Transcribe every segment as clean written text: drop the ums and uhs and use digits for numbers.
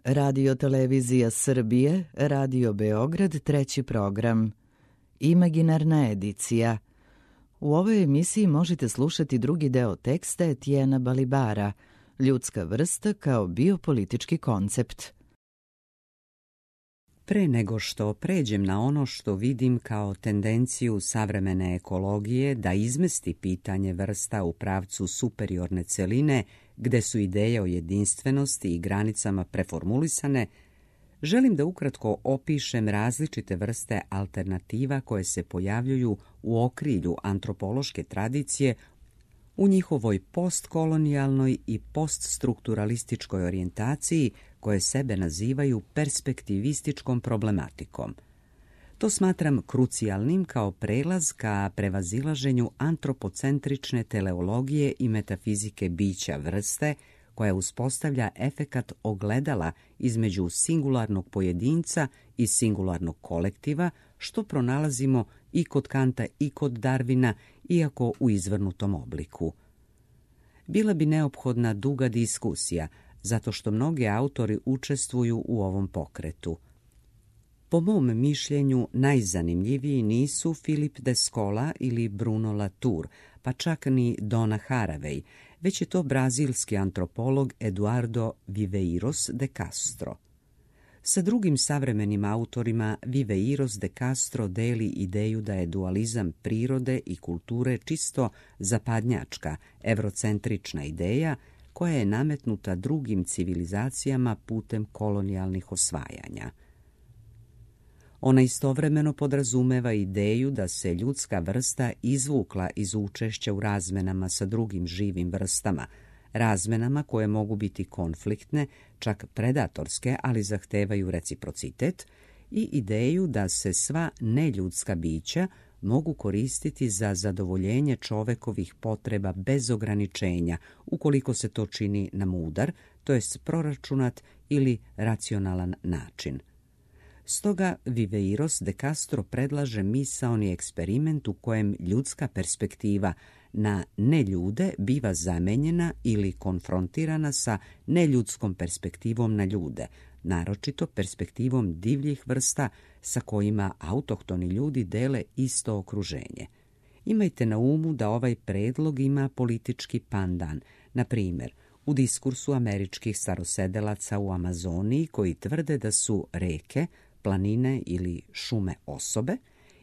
Radio Televizija Srbije, Radio Beograd, treći program. Imaginarna edicija. U ovoj emisiji možete slušati drugi deo teksta Etijena Balibara, Ljudska vrsta kao biopolitički koncept. Pre nego što pređem na ono što vidim kao tendenciju savremene ekologije da izmesti pitanje vrsta u pravcu superiorne celine, gde su ideje o jedinstvenosti i granicama preformulisane, želim da ukratko opišem različite vrste alternativa koje se pojavljuju u okrilju antropološke tradicije u njihovoj postkolonijalnoj i poststrukturalističkoj orijentaciji koje sebe nazivaju perspektivističkom problematikom. To smatram krucijalnim kao prelaz ka prevazilaženju antropocentrične teleologije i metafizike bića vrste, koja uspostavlja efekat ogledala između singularnog pojedinca i singularnog kolektiva, što pronalazimo i kod Kanta i kod Darwina, iako u izvrnutom obliku. Bila bi neophodna duga diskusija, zato što mnogi autori učestvuju u ovom pokretu. Po mom mišljenju, najzanimljiviji nisu Philip de Scola ili Bruno Latour, pa čak ni Donna Haraway, već je to brazilski antropolog Eduardo Viveiros de Castro. Sa drugim savremenim autorima Viveiros de Castro deli ideju da je dualizam prirode i kulture čisto zapadnjačka, evrocentrična ideja koja je nametnuta drugim civilizacijama putem kolonijalnih osvajanja. Ona istovremeno podrazumeva ideju da se ljudska vrsta izvukla iz učešća u razmenama sa drugim živim vrstama, razmenama koje mogu biti konfliktne, čak predatorske, ali zahtevaju reciprocitet, i ideju da se sva neljudska bića mogu koristiti za zadovoljenje čovekovih potreba bez ograničenja, ukoliko se to čini na mudar, to jest proračunat ili racionalan način. Stoga Viveiros de Castro predlaže misaoni eksperiment u kojem ljudska perspektiva na neljude biva zamenjena ili konfrontirana sa neljudskom perspektivom na ljude, naročito perspektivom divljih vrsta sa kojima autohtoni ljudi dele isto okruženje. Imajte na umu da ovaj predlog ima politički pandan, na primjer, u diskursu američkih starosedelaca u Amazoniji koji tvrde da su reke, planine ili šume osobe,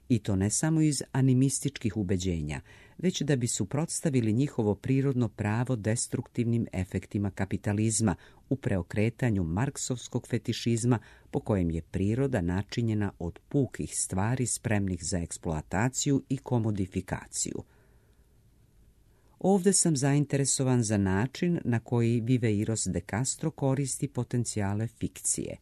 i to ne samo iz animističkih ubeđenja, već da bi suprotstavili njihovo prirodno pravo destruktivnim efektima kapitalizma u preokretanju marksovskog fetišizma po kojem je priroda načinjena od pukih stvari spremnih za eksploataciju i komodifikaciju. Ovde sam zainteresovan za način na koji Viveiros de Castro koristi potencijale fikcije.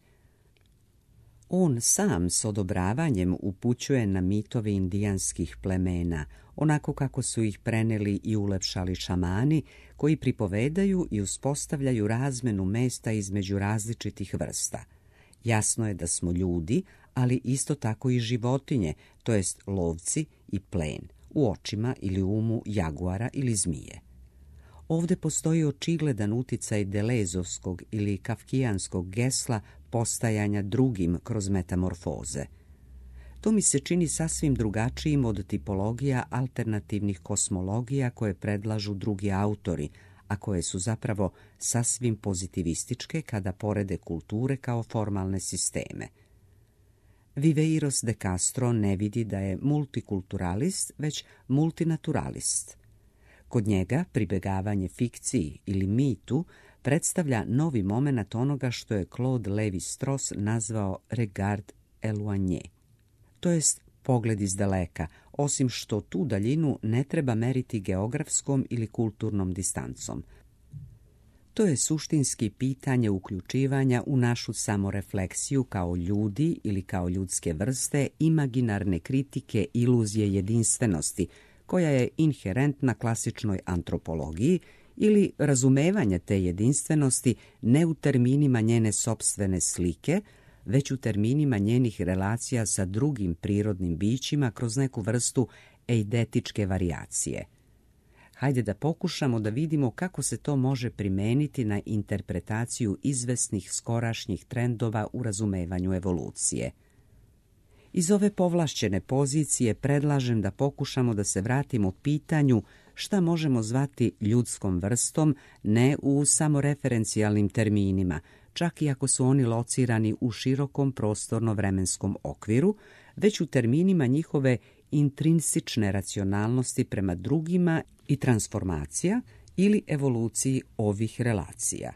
On sam s odobravanjem upućuje na mitove indijanskih plemena, onako kako su ih preneli i ulepšali šamani, koji pripovedaju i uspostavljaju razmenu mesta između različitih vrsta. Jasno je da smo ljudi, ali isto tako i životinje, to jest lovci i plen, u očima ili umu jaguara ili zmije. Ovde postoji očigledan uticaj delezovskog ili kafkijanskog gesla postajanja drugim kroz metamorfoze. To mi se čini sasvim drugačijim od tipologija alternativnih kosmologija koje predlažu drugi autori, a koje su zapravo sasvim pozitivističke kada porede kulture kao formalne sisteme. Viveiros de Castro ne vidi da je multikulturalist, već multinaturalist. Kod njega pribegavanje fikciji ili mitu predstavlja novi momenat onoga što je Claude Lévi-Strauss nazvao regard éloigné, to jest pogled iz daleka, osim što tu daljinu ne treba meriti geografskom ili kulturnom distancom. To je suštinski pitanje uključivanja u našu samorefleksiju kao ljudi ili kao ljudske vrste imaginarne kritike iluzije jedinstvenosti, koja je inherentna klasičnoj antropologiji, ili razumevanje te jedinstvenosti ne u terminima njene sopstvene slike, već u terminima njenih relacija sa drugim prirodnim bićima kroz neku vrstu eidetičke varijacije. Hajde da pokušamo da vidimo kako se to može primeniti na interpretaciju izvesnih skorašnjih trendova u razumevanju evolucije. Iz ove povlašćene pozicije predlažem da pokušamo da se vratimo pitanju šta možemo zvati ljudskom vrstom, ne u samoreferencijalnim terminima, čak i ako su oni locirani u širokom prostorno-vremenskom okviru, već u terminima njihove intrinsične racionalnosti prema drugima i transformacija ili evoluciji ovih relacija.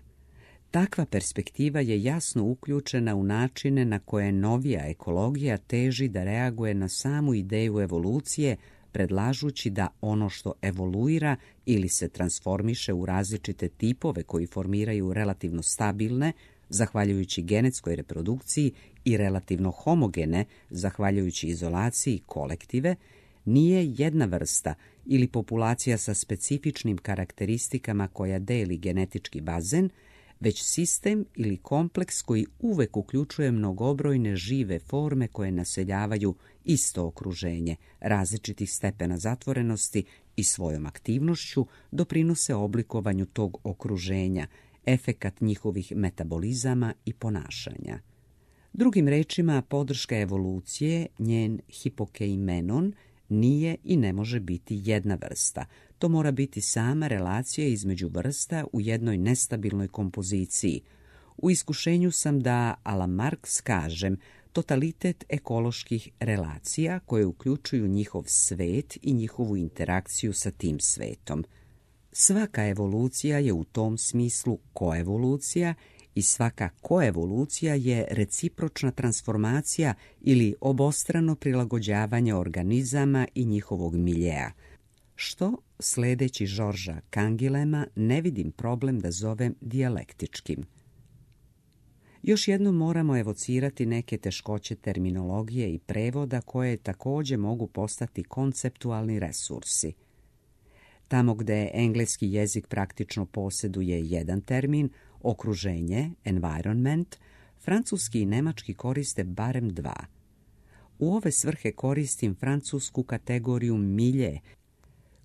Takva perspektiva je jasno uključena u načine na koje novija ekologija teži da reaguje na samu ideju evolucije, predlažući da ono što evoluira ili se transformiše u različite tipove koji formiraju relativno stabilne, zahvaljujući genetskoj reprodukciji, i relativno homogene, zahvaljujući izolaciji kolektive, nije jedna vrsta ili populacija sa specifičnim karakteristikama koja deli genetički bazen, već sistem ili kompleks koji uvek uključuje mnogobrojne žive forme koje naseljavaju isto okruženje, različitih stepena zatvorenosti i svojom aktivnošću doprinose oblikovanju tog okruženja, efekat njihovih metabolizama i ponašanja. Drugim rečima, podrška evolucije, njen hipokeimenon, nije i ne može biti jedna vrsta. To mora biti sama relacija između vrsta u jednoj nestabilnoj kompoziciji. U iskušenju sam da, a la Marx kažem, totalitet ekoloških relacija koje uključuju njihov svet i njihovu interakciju sa tim svetom. Svaka evolucija je u tom smislu koevolucija i svaka koevolucija je recipročna transformacija ili obostrano prilagođavanje organizama i njihovog miljea, što, sledeći Žorža Kangilema, ne vidim problem da zovem dijalektičkim. Još jednom moramo evocirati neke teškoće terminologije i prevoda koje takođe mogu postati konceptualni resursi. Tamo gde engleski jezik praktično posjeduje jedan termin, okruženje, environment, francuski i nemački koriste barem dva. U ove svrhe koristim francusku kategoriju milje,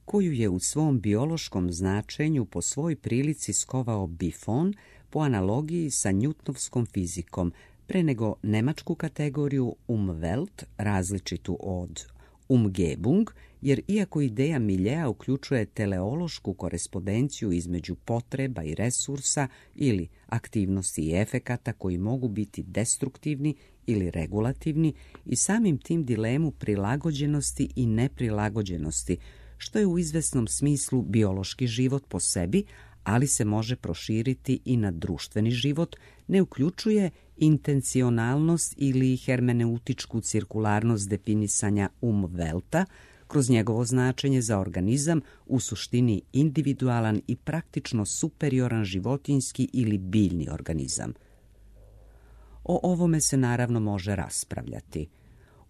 koju je u svom biološkom značenju po svoj prilici skovao Buffon po analogiji sa Newtonovskom fizikom, pre nego nemačku kategoriju Umwelt, različitu od Umgebung, jer iako ideja miljea uključuje teleološku korespondenciju između potreba i resursa ili aktivnosti i efekata koji mogu biti destruktivni ili regulativni i samim tim dilemu prilagođenosti i neprilagođenosti, što je u izvesnom smislu biološki život po sebi, ali se može proširiti i na društveni život, ne uključuje intencionalnost ili hermeneutičku cirkularnost definisanja Umwelta, kroz njegovo značenje za organizam u suštini individualan i praktično superioran životinjski ili biljni organizam. O ovome se naravno može raspravljati.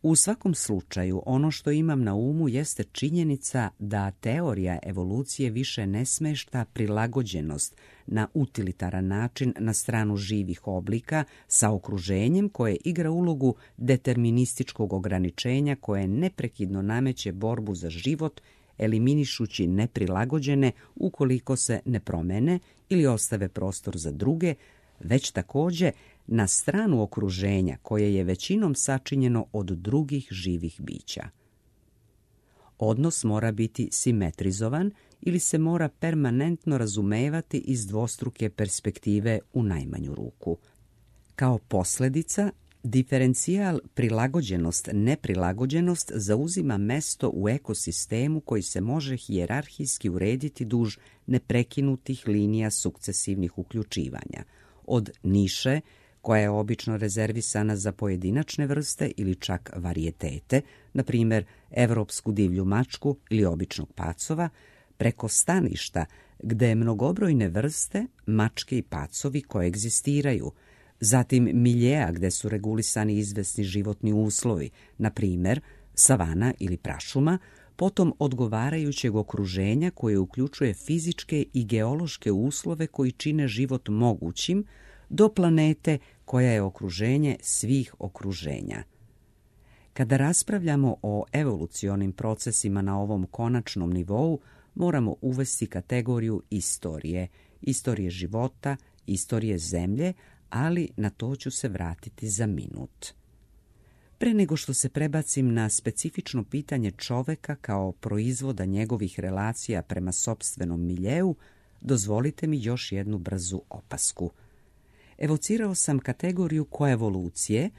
U svakom slučaju, ono što imam na umu jeste činjenica da teorija evolucije više ne smešta prilagođenost na utilitaran način na stranu živih oblika sa okruženjem koje igra ulogu determinističkog ograničenja koje neprekidno nameće borbu za život, eliminišući neprilagođene ukoliko se ne promene ili ostave prostor za druge, već takođe na stranu okruženja koje je većinom sačinjeno od drugih živih bića. Odnos mora biti simetrizovan ili se mora permanentno razumevati iz dvostruke perspektive u najmanju ruku. Kao posljedica, diferencijal prilagođenost-neprilagođenost zauzima mesto u ekosistemu koji se može hijerarhijski urediti duž neprekinutih linija sukcesivnih uključivanja, od niše, koja je obično rezervisana za pojedinačne vrste ili čak varijetete, na primjer evropsku divlju mačku ili običnog pacova, preko staništa gde mnogobrojne vrste, mačke i pacovi koegzistiraju, zatim miljeja gde su regulisani izvesni životni uslovi, na primjer savana ili prašuma, potom odgovarajućeg okruženja koje uključuje fizičke i geološke uslove koji čine život mogućim, do planete koja je okruženje svih okruženja. Kada raspravljamo o evolucionim procesima na ovom konačnom nivou, moramo uvesti kategoriju istorije života, istorije zemlje, ali na to ću se vratiti za minut. Pre nego što se prebacim na specifično pitanje čoveka kao proizvoda njegovih relacija prema sopstvenom miljeu, dozvolite mi još jednu brzu opasku. Evocirao sam kategoriju koevolucije,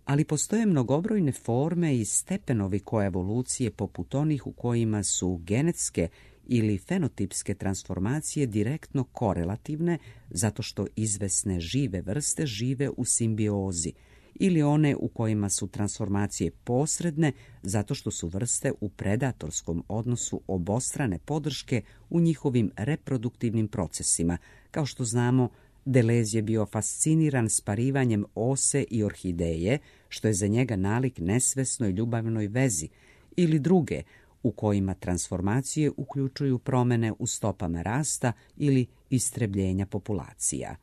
ali postoje mnogobrojne forme i stepenovi koevolucije poput onih u kojima su genetske ili fenotipske transformacije direktno korelativne zato što izvesne žive vrste žive u simbiozi, ili one u kojima su transformacije posredne zato što su vrste u predatorskom odnosu obostrane podrške u njihovim reproduktivnim procesima. Kao što znamo, Deleuze je bio fasciniran sparivanjem ose i orhideje, što je za njega nalik nesvesnoj ljubavnoj vezi, ili druge, u kojima transformacije uključuju promene u stopama rasta ili istrebljenja populacija.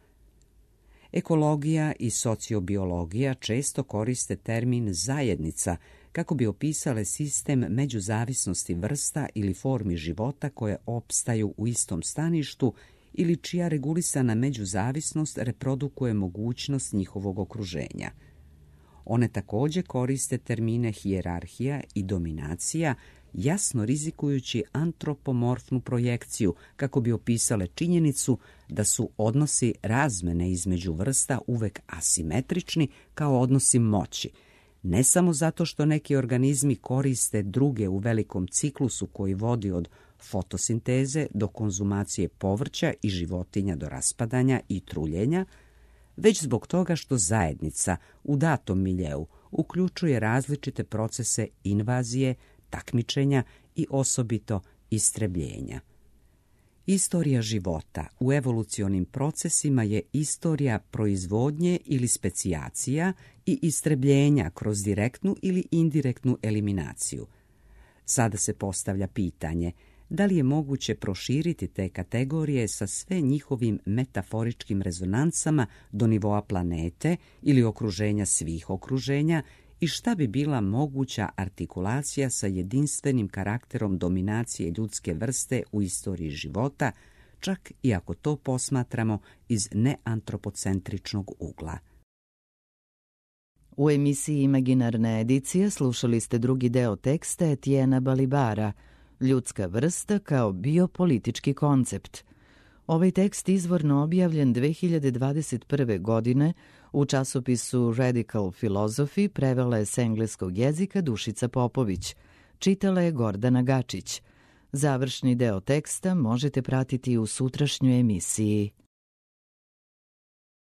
Ekologija i sociobiologija često koriste termin zajednica kako bi opisale sistem međuzavisnosti vrsta ili formi života koje opstaju u istom staništu ili čija regulisana međuzavisnost reprodukuje mogućnost njihovog okruženja. One također koriste termine hijerarhija i dominacija, jasno rizikujući antropomorfnu projekciju kako bi opisale činjenicu da su odnosi razmene između vrsta uvek asimetrični kao odnosi moći, ne samo zato što neki organizmi koriste druge u velikom ciklusu koji vodi od fotosinteze do konzumacije povrća i životinja do raspadanja i truljenja, već zbog toga što zajednica u datom miljeu uključuje različite procese invazije, takmičenja i osobito istrebljenja. Istorija života u evolucionim procesima je istorija proizvodnje ili specijacija i istrebljenja kroz direktnu ili indirektnu eliminaciju. Sada se postavlja pitanje da li je moguće proširiti te kategorije sa sve njihovim metaforičkim rezonancama do nivoa planete ili okruženja svih okruženja i šta bi bila moguća artikulacija sa jedinstvenim karakterom dominacije ljudske vrste u istoriji života, čak i ako to posmatramo iz neantropocentričnog ugla. U emisiji Imaginarna edicija slušali ste drugi deo teksta Etienne'a Balibara, Ljudska vrsta kao biopolitički koncept. Ovaj tekst izvorno objavljen 2021. godine u časopisu Radical Philosophy prevela je s engleskog jezika Dušica Popović. Čitala je Gordana Gačić. Završni deo teksta možete pratiti u sutrašnjoj emisiji.